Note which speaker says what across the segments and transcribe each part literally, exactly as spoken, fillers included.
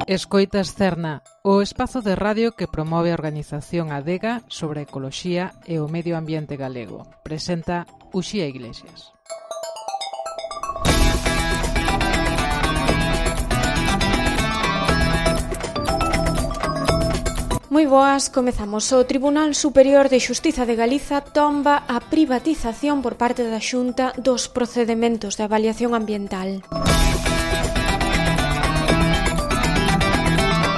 Speaker 1: Escoitas Cerna, o espazo de radio que promove a organización Adega sobre a ecoloxía e o medio ambiente galego. Presenta Uxía Iglesias.
Speaker 2: Moi boas, comezamos. O Tribunal Superior de Xustiza de Galiza tomba a privatización por parte da Xunta dos procedementos de avaliación ambiental.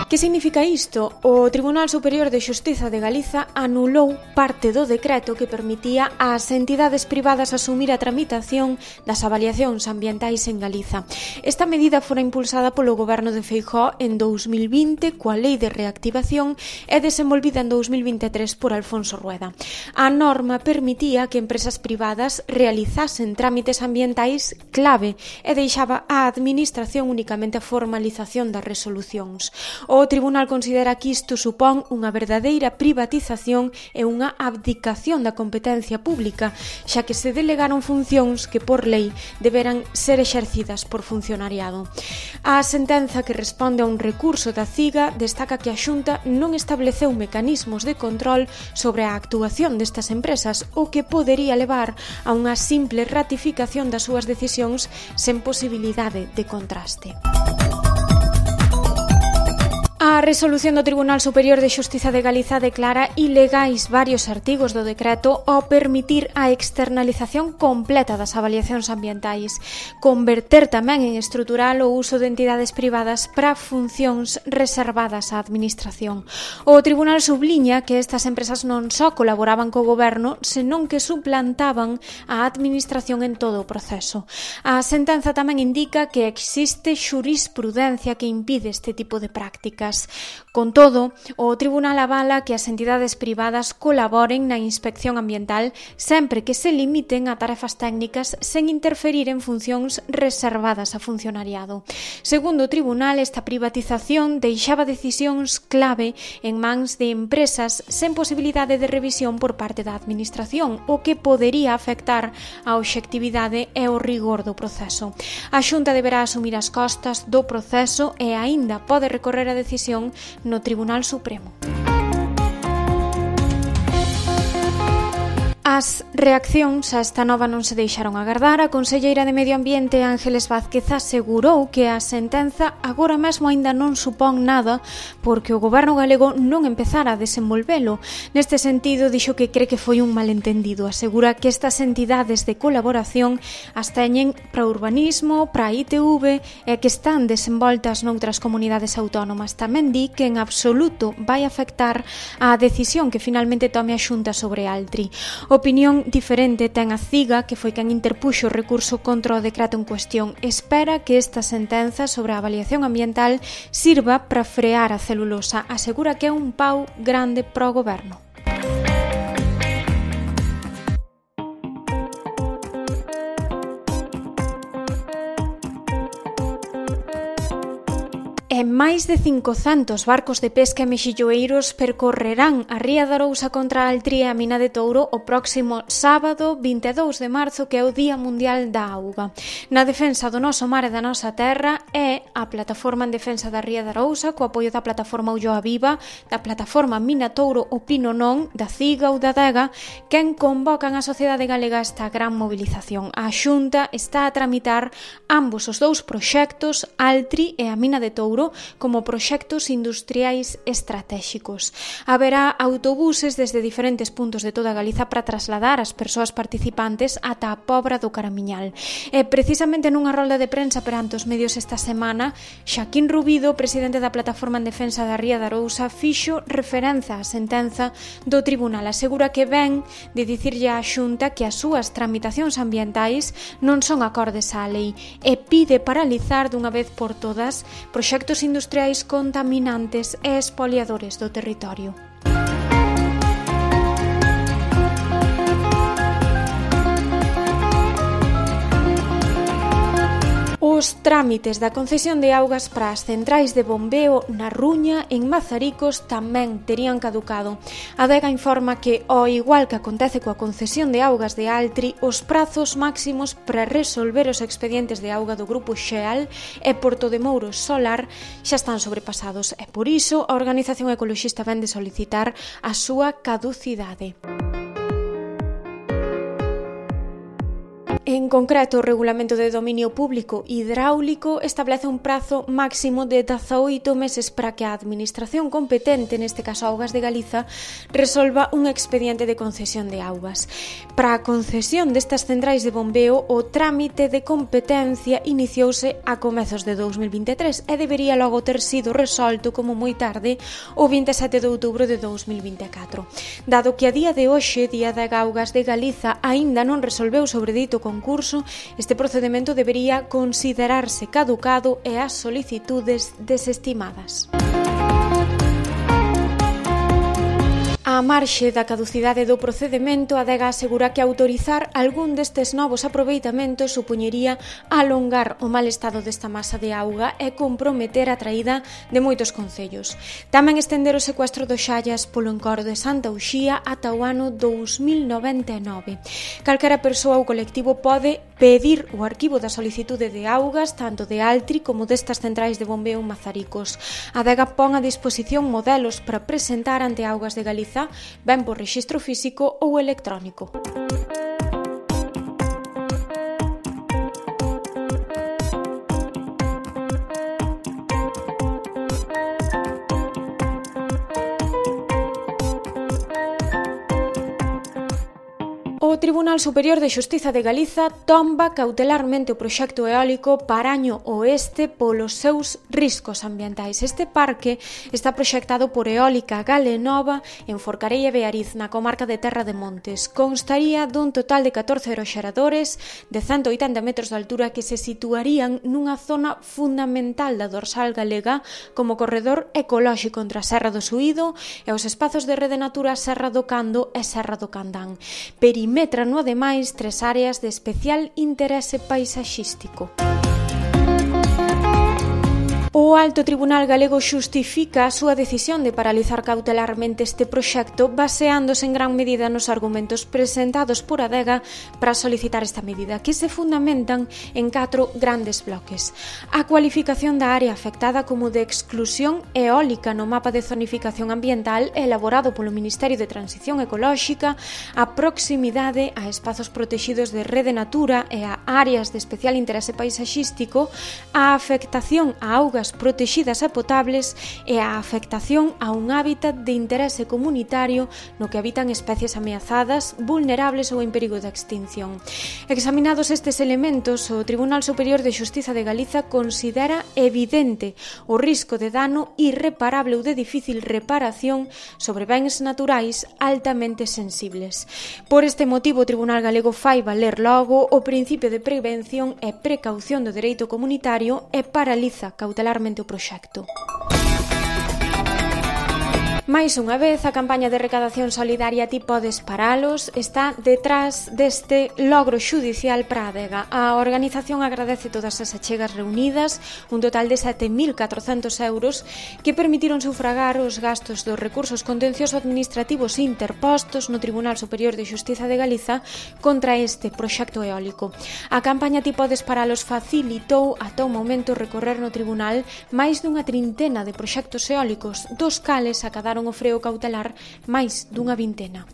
Speaker 2: Que significa isto? O Tribunal Superior de Xustiza de Galiza anulou parte do decreto que permitía ás entidades privadas asumir a tramitación das avaliacións ambientais en Galiza. Esta medida fora impulsada polo goberno de Feijóo en dous mil vinte coa Lei de Reactivación e desenvolvida en dous mil vinte e tres por Alfonso Rueda. A norma permitía que empresas privadas realizasen trámites ambientais clave e deixaba á administración únicamente a formalización das resolucións. O Tribunal considera que isto supón unha verdadeira privatización e unha abdicación da competencia pública, xa que se delegaron funcións que por lei deberán ser exercidas por funcionariado. A sentenza que responde a un recurso da CIGA destaca que a Xunta non estableceu mecanismos de control sobre a actuación destas empresas, o que podería levar a unha simple ratificación das súas decisións sen posibilidade de contraste. A resolución do Tribunal Superior de Xustiza de Galiza declara ilegais varios artigos do decreto ao permitir a externalización completa das avaliacións ambientais, converter tamén en estrutural o uso de entidades privadas para funcións reservadas á administración. O Tribunal subliña que estas empresas non só colaboraban co goberno, senón que suplantaban a administración en todo o proceso. A sentenza tamén indica que existe xurisprudencia que impide este tipo de prácticas. Con todo, o Tribunal avala que as entidades privadas colaboren na inspección ambiental sempre que se limiten a tarefas técnicas sen interferir en funcións reservadas a funcionariado. Segundo o Tribunal, esta privatización deixaba decisións clave en mans de empresas sen posibilidade de revisión por parte da administración, o que podería afectar a obxectividade e o rigor do proceso. A Xunta deberá asumir as costas do proceso e aínda pode recorrer a decisión no Tribunal Supremo. As reaccións a esta nova non se deixaron agardar. A conselleira de Medio Ambiente, Ángeles Vázquez, asegurou que a sentenza agora mesmo aínda non supón nada porque o goberno galego non empezara a desenvolvelo. Neste sentido, dixo que cree que foi un malentendido. Asegura que estas entidades de colaboración as teñen para urbanismo, para I T V e que están desenvoltas noutras comunidades autónomas. Tamén di que en absoluto vai afectar a decisión que finalmente tome a Xunta sobre Altri. Opinión diferente ten a CIGA, que foi quen interpuxo o recurso contra o decreto en cuestión. Espera que esta sentenza sobre a avaliación ambiental sirva para frear a celulosa. Asegura que é un pau grande para o goberno. E máis de cincocentos barcos de pesca e mexilloeiros percorrerán a Ría de Arousa contra a Altri e a Mina de Touro o próximo sábado vinte e dous de marzo, que é o Día Mundial da Auga. Na defensa do noso mar e da nosa terra é a Plataforma en Defensa da Ría de Arousa, co apoio da Plataforma Ulloa Viva, da Plataforma Mina Touro o Pino Non, da CIGA ou da Adega, quen convocan a sociedade galega a esta gran movilización. A Xunta está a tramitar ambos os dous proxectos, Altri e a Mina de Touro, como proxectos industriais estratéxicos. Haberá autobuses desde diferentes puntos de toda Galiza para trasladar as persoas participantes ata a Pobra do Caramiñal. E precisamente nunha rolda de prensa perante os medios esta semana, Xaquín Rubido, presidente da Plataforma en Defensa da Ría de Arousa, fixo referenza á sentenza do Tribunal. Asegura que ven de dicirlle á Xunta que as súas tramitacións ambientais non son acordes á lei e pide paralizar dunha vez por todas proxectos industriais contaminantes e expoliadores do territorio. Os Os trámites da concesión de augas para as centrais de bombeo na Ruña, en Mazaricos, tamén terían caducado. A Adega informa que, ao igual que acontece coa concesión de augas de Altri, os prazos máximos para resolver os expedientes de auga do Grupo Xeal e Portodemouros Solar xa están sobrepasados e, por iso, a organización ecoloxista vén de solicitar a súa caducidade. En concreto, o Regulamento de Dominio Público Hidráulico establece un prazo máximo de dezaoito meses para que a administración competente, neste caso Augas de Galiza, resolva un expediente de concesión de augas. Para a concesión destas centrais de bombeo, o trámite de competencia iniciouse a comezos de dous mil vinte e tres e debería logo ter sido resolto como moi tarde o vinte e sete de outubro de dous mil vinte e catro. Dado que a día de hoxe, Día de Augas de Galiza, aínda non resolveu sobre dito concurso, concurso, este procedemento debería considerarse caducado e as solicitudes desestimadas. A marxe da caducidade do procedemento, a Adega asegura que autorizar algún destes novos aproveitamentos supoñería alongar o mal estado desta masa de auga e comprometer a traída de moitos concellos. Tamén estender o secuestro dos xallas polo encoro de Santa Uxía ata o ano dous mil noventa e nove. Calquera persoa ou colectivo pode pedir o arquivo da solicitude de augas tanto de Altri como destas centrais de bombeo en Mazaricos. A Adega pon a disposición modelos para presentar ante Augas de Galiza, ben por rexistro físico ou electrónico. O Tribunal Superior de Xustiza de Galiza tomba cautelarmente o proxecto eólico Paraño Oeste polos seus riscos ambientais. Este parque está proxectado por Eólica Galenova en Forcarei e Beariz, na comarca de Terra de Montes. Constaría dun total de catorce aeroxeradores de cento oitenta metros de altura que se situarían nunha zona fundamental da dorsal galega como corredor ecolóxico entre a Serra do Suído e os espazos de Rede Natura Serra do Cando e Serra do Candán. Perimetran no ademais tres áreas de especial interese paisaxístico. O Alto Tribunal Galego xustifica a súa decisión de paralizar cautelarmente este proxecto baseándose en gran medida nos argumentos presentados por Adega para solicitar esta medida, que se fundamentan en catro grandes bloques. A cualificación da área afectada como de exclusión eólica no mapa de zonificación ambiental elaborado polo Ministerio de Transición Ecolóxica, a proximidade a espazos protexidos de Rede Natura e a áreas de especial interese paisaxístico, a afectación a augas protexidas e potables e a afectación a un hábitat de interese comunitario no que habitan especies ameazadas, vulnerables ou en perigo de extinción. Examinados estes elementos, o Tribunal Superior de Xustiza de Galiza considera evidente o risco de dano irreparable ou de difícil reparación sobre bens naturais altamente sensibles. Por este motivo, o Tribunal Galego fai valer logo o principio de prevención e precaución do dereito comunitario e paraliza cautelarmente o proxecto. Mais unha vez, a campaña de recadación solidaria Ti Podes Paralos está detrás deste logro xudicial para a Adega. A organización agradece todas as achegas reunidas, un total de sete mil catrocentos euros, que permitiron sufragar os gastos dos recursos contenciosos administrativos interpostos no Tribunal Superior de Xustiza de Galiza contra este proxecto eólico. A campaña Ti Podes Paralos facilitou ata o momento recorrer no tribunal máis dunha trintena de proxectos eólicos, dos cales acadaron o freo cautelar máis dunha vintena.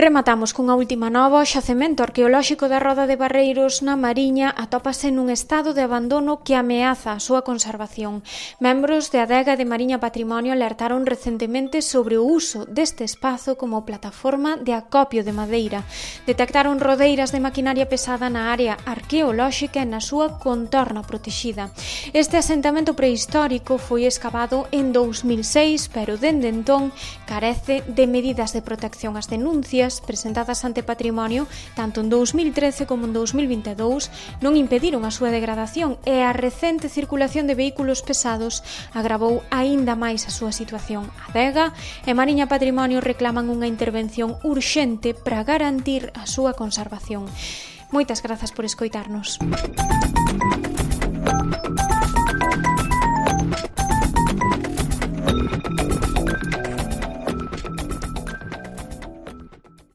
Speaker 2: Rematamos cunha última nova. O xacemento arqueolóxico da Roda de Barreiros na Mariña atópase nun estado de abandono que ameaza a súa conservación. Membros de Adega de Mariña Patrimonio alertaron recentemente sobre o uso deste espazo como plataforma de acopio de madeira. Detectaron rodeiras de maquinaria pesada na área arqueolóxica e na súa contorna protexida. Este asentamento prehistórico foi escavado en dous mil seis, pero dende entón carece de medidas de protección. As denuncias queixas presentadas ante Patrimonio tanto en dous mil trece como en dous mil vinte e dous non impediron a súa degradación e a recente circulación de vehículos pesados agravou aínda máis a súa situación. Adega e Mariña Patrimonio reclaman unha intervención urxente para garantir a súa conservación. Moitas grazas por escoitarnos.